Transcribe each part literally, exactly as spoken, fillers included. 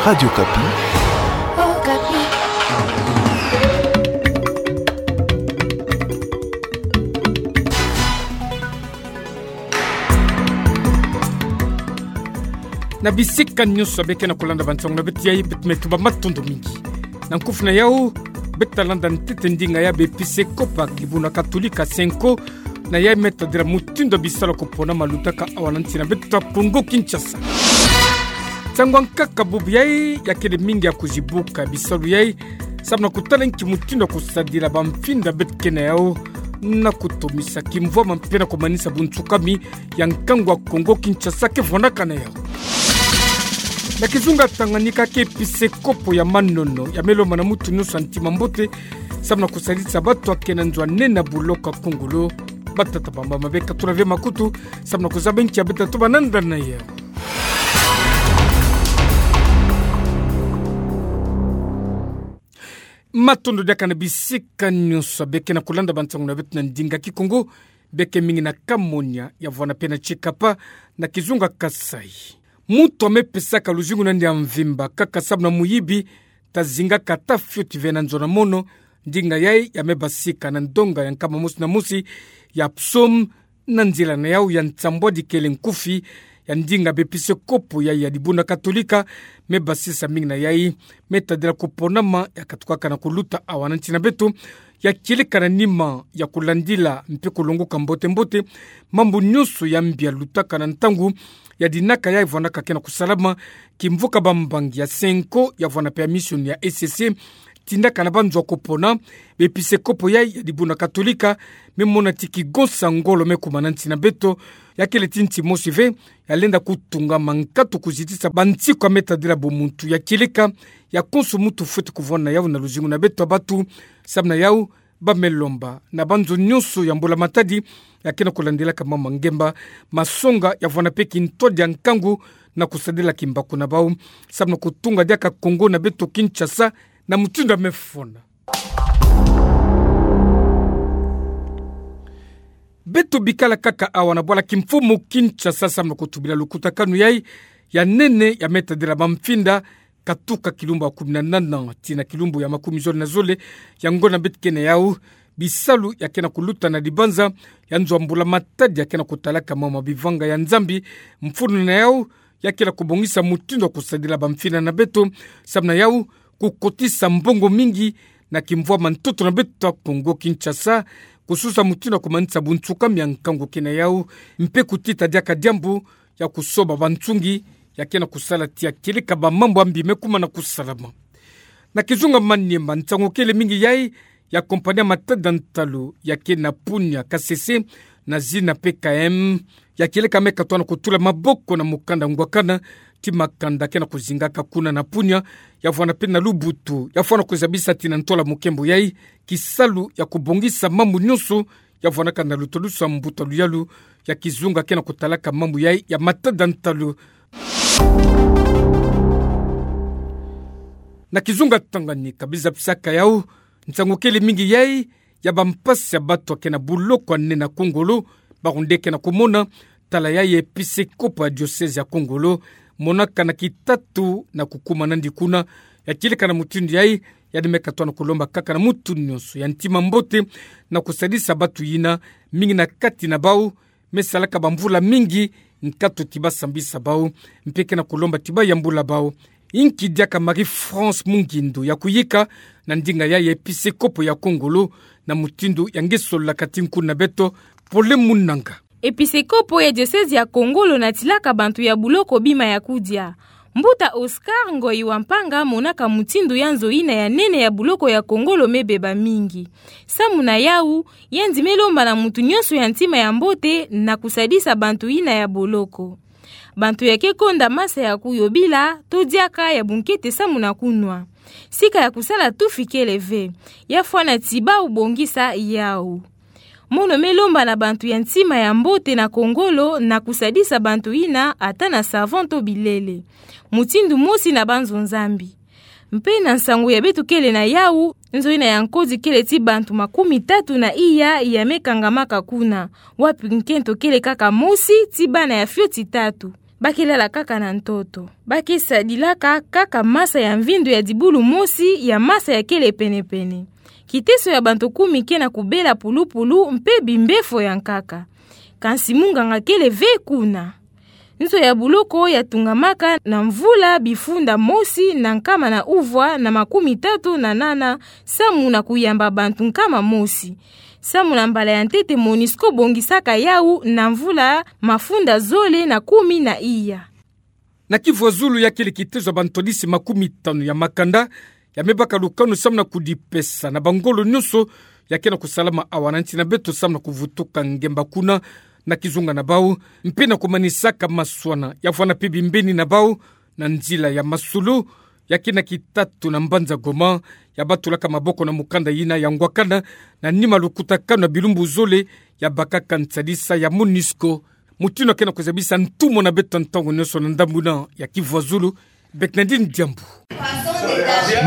Radio Okapi. Na bisika nyonso beke na kolanda bansango na beto, beto me tuba matondo mingi. Na nkufi na yau, beto talanda ntete ndinga ya ba episekopo ya kibuna Katolika Cenco, na yai me tadila mutindu ya bisalu ya kupona ma lutaka awa na nsi na beto ya Kongo Kinshasa. Nsangu ya nkaka bubu yai, ya kele mingi ya kuzibuka bisalu yai, samu na kutala nki mutindu ya kusadila bamfinda beto ke na yau, na kutomisa kimvwama mpe na kumanisa bunsukami ya nkangu ya Kongo Kinshasa ke vwanaka na yau. Na kizunga Tanganyika, ke episekopo ya Manono ya me lomba na mutu nyonso ya ntima mbote, samu na kusadisa bato ya ke na nzo ya nene ya buloko ya Kongolo. Batata, bamama, bekatula ve makutu, samu na kuzaba nki ya beto ta tuba nanda na yau. Matondo diaka na bisika nyonso beke na kolanda bansangu na beto na ndinga Kikongo, beke mingi na Kamonia, ya vwanda mpe na Tshikapa, na kizunga Kasaï. Mutu ya me pesaka luzingu na yandi ya mvimba kaka samu na muyibi, ta zingaka ata fioti ve na nzo na mono. Ndinga yai ya me basika na ndonga ya nkama mosi na mosi ya Psaume, na nzila na yau ya nsambwadi kele nkufi ya ndinga ba episekopo yai ya dibuna Katolika, me basisa mingi na yai me tadila kuponama ya katukaka na kuluta awa na nsi na beto, ya kieleka na nima ya kulandila mpe kulongoka mbote-mbote mambu nyonso ya mbi ya lutaka na ntangu ya dinaka yai vwanaka ke na kusalama, kimvuka bambangi ya Cenco, ya vwanda mpe ya mission ya E C C, tindaka na banzo ya kupona ba episekopo yai ya dibuna Katolika, me mona ti kigonsa ngolo me kuma na nsi na beto, ya kele ti nsi mosi ve ya lenda kutunga mankatu kuzitisa bansiku ya me tadila bumuntu, ya kieleka ya konso mutu fweti kuvwanda yau na luzingu na beto ya batu. Samu na yau, ba me lomba na banzo nyonso ya mbula matadi ya ke na kulandilaka mambu ya ngemba, masonga, ya vwanda mpe kintwadi ya nkangu, na kusadila kimbaku na bau, samu na kutunga diaka Kongo na beto Kinshasa na mutindu ya me fwana. Beto bikala kaka awa na bwala kimfumu Kinshasa samu na kutubila lukutakanu yai ya nene ya me tadila bamfinda, katuka kilumbu ya kumi na nana tii na kilumbu ya makumi zole na zole ya ngonda beto ke na yau. Bisalu ya ke na kuluta na dibanza ya nzo ya mbula matadi ya ke na kutalaka mambu ya bivanga ya Nzambi, mfunu na yau ya ke na kubongisa mutindu ya kusadila bamfinda na beto, samu na yau kukotisa mbongo mingi na kimvwama ntoto na beto ya Kongo Kinshasa, kususa mutindu ya kumanisa bunsukami ya nkangu ke na yau, mpe kutita diaka diambu ya kusoba bansungi ya ke na kusala tii ya kieleka bamambu ya mbi me kuma na kusalama. Na kizunga Maniema, nsangu kele mingi yai ya compagnie ya matada ntalu ya ke na Punya Kasese, na zina P K M, ya kieleka me katoa na kutula maboko na mukanda ngwakana ti makanda ke na kuzingaka kuna na Punya, ya vwanda mpe na Lubutu, ya fwana kuzabisa tii na ntola mukembo yai kisalu ya kubongisa mambu nyonso ya vwanaka na lutalusu ya mbuta luyalu ya kizunga ke na kutalaka mambu yai ya matada ntalu. Na kizunga Tanganyika, biza pisaka yau nsangu kele mingi yai ya bampasi ya bato ya ke na buloko ya nene ya Kongolo, bawu nde ke na kumona, tala yai episekopo ya diocèse ya Kongolo monaka na kitatu na kukuma na yandi kuna, ya kieleka na mutindu yai, yandi me katoa na kulomba kaka na mutu nyonso ya ntima mbote na kusadisa bato yina, mingi na kati na bawu me salaka bamvula mingi nkatu ti basambisa bawu, mpe ke na kulomba ti bayambula bawu. Inki diaka Marie-France Mungindu ya kuyika na ndinga yai episekopo ya Kongolo, na mutindu ya nge sololaka ti nkuna na beto, Pauline Munanga. Episekopo ya diocèse ya Kongolo natilaka bantu ya buloko bima ya kudia. Mbuta Oscar Ngoyi wa Mpanga monaka mutindu ya nzo yina ya nene ya buloko ya Kongolo me beba mingi. Samu na yawu, yandi me lomba na mutu nyonso ya ntima ya mbote na kusadisa bantu yina ya boloko. Bantu ya ke konda masa ya kuyobila, to diaka ya bunkete samu na kunwa. Sika ya kusala tufi kele ve, ya fwana ti bawu bongisa yawu. Mono me lomba na bantu ya ntima ya mbote na Kongolo na kusadisa bantu yina ata na savon to bilele, mutindu mosi na banzo-Nzambi. Mpe na nsangu ya beto kele na yawu, nzo yina ya nkodi kele ti bantu makumi tatu na iya ya me kangamaka kuna, wapi nkento kele kaka mosi ti bana ya fioti tatu. ba ke lala kaka na ntoto. Ba ke sadilaka kaka masa ya mvindo ya dibulu mosi ya masa ya kele pene-pene. Kiteso ya bantu kumi ke na kubela pulupulu mpe bimbefo ya nkaka. Kansi munganga kele ve kuna. Nzo ya buloko ya tungamaka na mvula bifunda mosi na nkama na uvwa na makumi tatu na nana, samu na kuyamba bantu nkama mosi. Samu na mbala ya ntete, MONUSCO bongisaka yawu na mvula mafunda zole na kumi na iya. Na Kivu ya Zulu, ya kele kitezo ya bantwadisi makumi tanu ya makanda ya me baka lukanu samu na kudipesa na bangolo nyonso ya ke na kusalama awa na nsi na beto samu na kuvutuka ngemba kuna na kizunga na bawu, mpe na kumanisaka maswana ya vwanda mpe bimbeni na bawu na nzila ya masolo ya ke na kitatu na mbanza Goma, ya batulaka maboko na mukanda yina ya ngwakana na nima lukutakanu ya bilumbu zole ya bakaka nsadisa ya MONUSCO. Mutindu ya ke na kuzabisa ntumwa na beto ntangu nyonso na ndambu yina ya Kivu ya Zulu, Bernardine Diambu.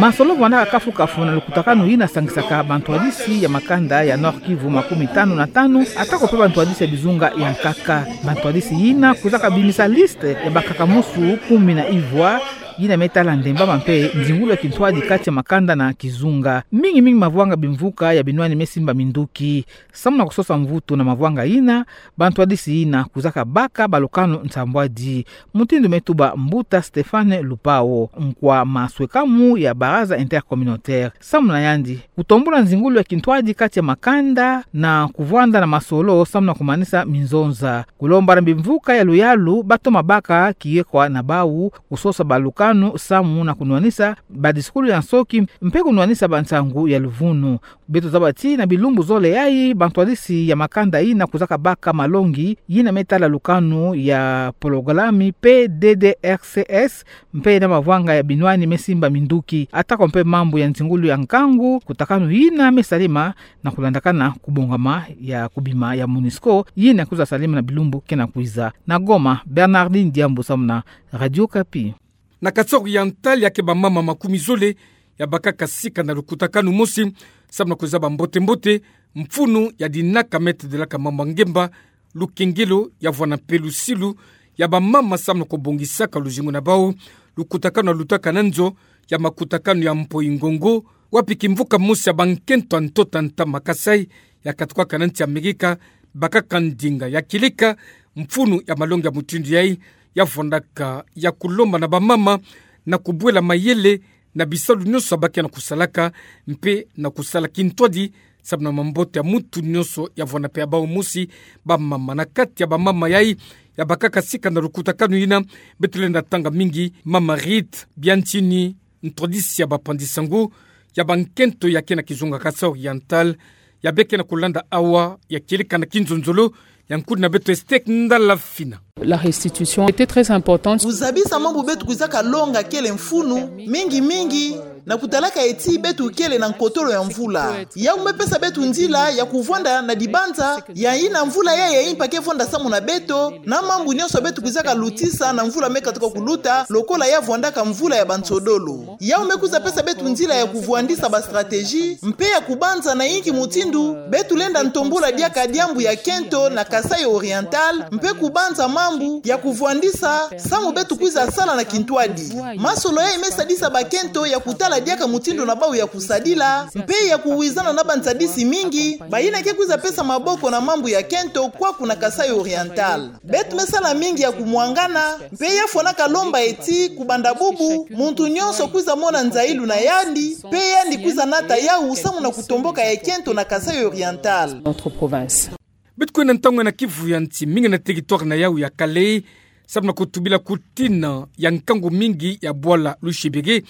Masolo vwandaka kafu-kafu na lukutakanu yina sangisaka bantwadisi ya makanda ya Nord-Kivu makumi tanu na tanu, atako mpe bantwadisi ya bizunga ya nkaka. Bantwadisi yina kwizaka bimisa liste ya bakaka musu kumi na ivwa, yina me tala ndembama mpe nzingulu ya kintwadi kati ya makanda na kizunga. Mingi-mingi mavwanga bimvuka ya binwani me simba minduki. Samu na kusosa mvutu na mavwanga yina, bantwadisi yina kwizaka baka balukanu nsambwadi. Mutindu me tuba mbuta Stéphane Lupao, nkwa maswekamu ya Baraza Intercommunautaire. Samu na yandi, kutombula nzingulu ya kintwadi kati ya makanda na kuvwanda na masolo samu na kumanisa minzonza. Kulomba na bimvuka ya luyalu ba toma baka kiyekwa na bawu, kusosa balukanu samu na kunwanisa badisukulu ya nsoki mpe kunwanisa bansangu ya luvunu. Beto zaba ti na bilumbu zole yayi, bantwadisi ya makanda yina kwizaka baka malongi yina me tala lukanu ya pologalami P D D R C S, mpe na mavwanga ya binwani me simba minduki, atako mpe mambu ya nzingulu ya nkangu, kutakanu yina me salema na kulandakana kubongama ya kubima ya MONUSCO, yina kwiza salema na bilumbu ke na kwiza. Na Goma, Bernardine Diambu samu na Radio Okapi. Na Kasaï Oriental, ya ke bamama makumi zole ya bakaka sika na lukutakanu mosi samu na kuzaba mbote-mbote mfunu ya dinaka me tadilaka mambu ya ngemba, lukengelo ya vwanda mpe lusilu ya bamama samu na kubongisaka luzingu na bawu. Lukutakanu ya lutaka na nzo ya makutakanu ya Mpoyi-Ngongo, wapi kimvuka mosi ya bankento ya ntoto ya ntama Kasaï ya katukaka na nsi ya Amerika, bakaka ndinga ya kieleka mfunu ya malongi ya mutindu yayi, ya vwandaka ya kulomba na bamama na kubwela mayele na bisalu nyonso ba ke na kusalaka, mpe na kusala kintwadi samu na mambote ya mutu nyonso ya vwanda mpe ya bawu mosi. Bamama, na kati ya bamama yayi ya bakaka sika na lukutakanu yina, beto lenda tanga mingi Mama Rite Biantini, ntwadisi ya bapanzi-nsangu ya bankento ya ke na kizunga Kasaï Oriental, ya be ke na kulanda awa ya kieleka na kinzonzolo ya nkudi na beto Esther Ndala Fina. La restitution était très importante. Kuzabisa mambu beto kwizaka longa kele mfunu, mingi-mingi na kutalaka ti beto kele na nkotolo ya mvula. Yawu me pesa beto nzila ya kuvwanda na dibanza ya yina mvula yayi ya impa ke vwanda samu na beto, na mambu nyonso beto kwizaka lutisa na mvula me katuka kuluta, lokola ya vwandaka mvula ya bansodolo. Yawu me kwiza pesa beto nzila ya kuvwandisa ba stratégie, mpe ya kubanza na yinki mutindu beto lenda ntombula diaka diambu ya kento na Kasaï Oriental, mpe kubanza mambu ya kuvwandisa samu beto kwiza sala na kintwadi. Masolo yayi me sadisa bakento ya kutala diaka mutindu na bawu ya kusadila, mpe ya kuwizana na bansadisi mingi, bayina ke kwiza pesa maboko na mambu ya kento kwaku na Kasaï Oriental. Beto me sala mingi ya kumwangana, mpe ya fwanaka lomba ti kubanda bubu, muntu nyonso kwiza mona nzayilu na yandi, mpe yandi kwiza nata yawu samu na kutomboka ya kento na Kasaï Oriental. Notre province. Beto kwenda ntangu na Kivu ya Nsi, mingi na territoire na yawu ya Kalehe, samu na kutubila kutina ya nkangu mingi ya bwala Lushebere,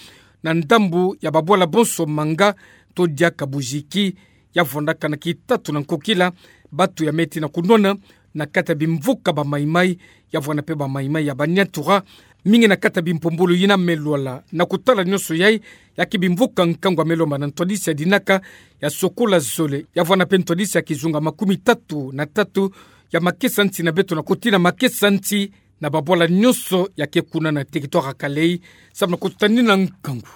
na ndambu ya babwala bonso Manga to diaka Bujiki, ya vwandaka na kitatu na nkokila, batu ya me tina kunwana na kati ya bimvuka ba Maï-Maï, ya vwanda mpe ba Maï-Maï ya Baniatura, mingi na kati ya bimpombolo yina me lwala. Na kutala nyonso yayi, ya ke bimvuka nkangu ya me lomba na ntwadisi ya dinaka ya sokola zole, ya vwanda mpe ntwadisi ya kizunga makumi tatu na tatu ya makesa nsi na beto na kutina makesa nsi na babwala nyonso ya ke kuna na territoire ya Kalehe, samu na kutanina nkangu.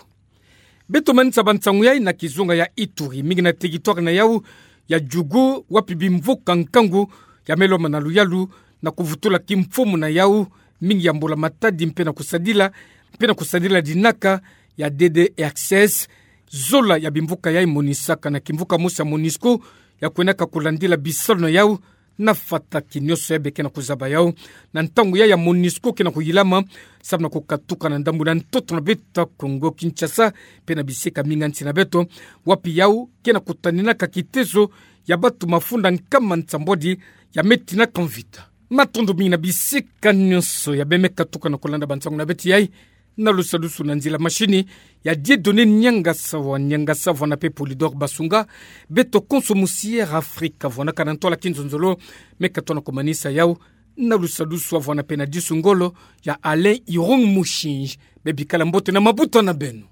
Beto manisa bansangu yayi na kizunga ya Ituri, mingi na territoire na yawu ya Djugu, wapi bimvuka nkangu ya me lomba na luyalu na kuvutula kimfumu na yawu, mingi ya mbula matadi mpe na kusadila, mpe na kusadila dinaka ya D D R C S, zola ya bimvuka yai monisaka na kimvuka mosi ya MONUSCO, ya kuenaka kulandila bisalu na yau, na fataki nionso yai be ke na kuzaba yau. Na ntangu yai ya MONUSCO ke na kuyilama, samu na kukatuka na ndambu na ntoto na beta Kongo Kinshasa, mpe na bisika mingi ya nsi na beto, wapi yau ke na kutaninaka kitezo ya batu mafunda nkama nsambwadi ya metinaka mvita. Matondo mingi na bisika nionso ya bemeka tuka na kulanda bansangu na beto yai, na lusadusu na nzila mashini ya Dieudonné Niangasa wa Niangasa, vwanda mpe Polydor Basunga, beto konso musi Air Africa, vwanaka na ntwala kinzonzolo, meka tona kumanisa yau, na lusadusu vwanda mpe na disu ngolo ya Alain Irung Mushinji. Bebikala mbote na mabuta na beno.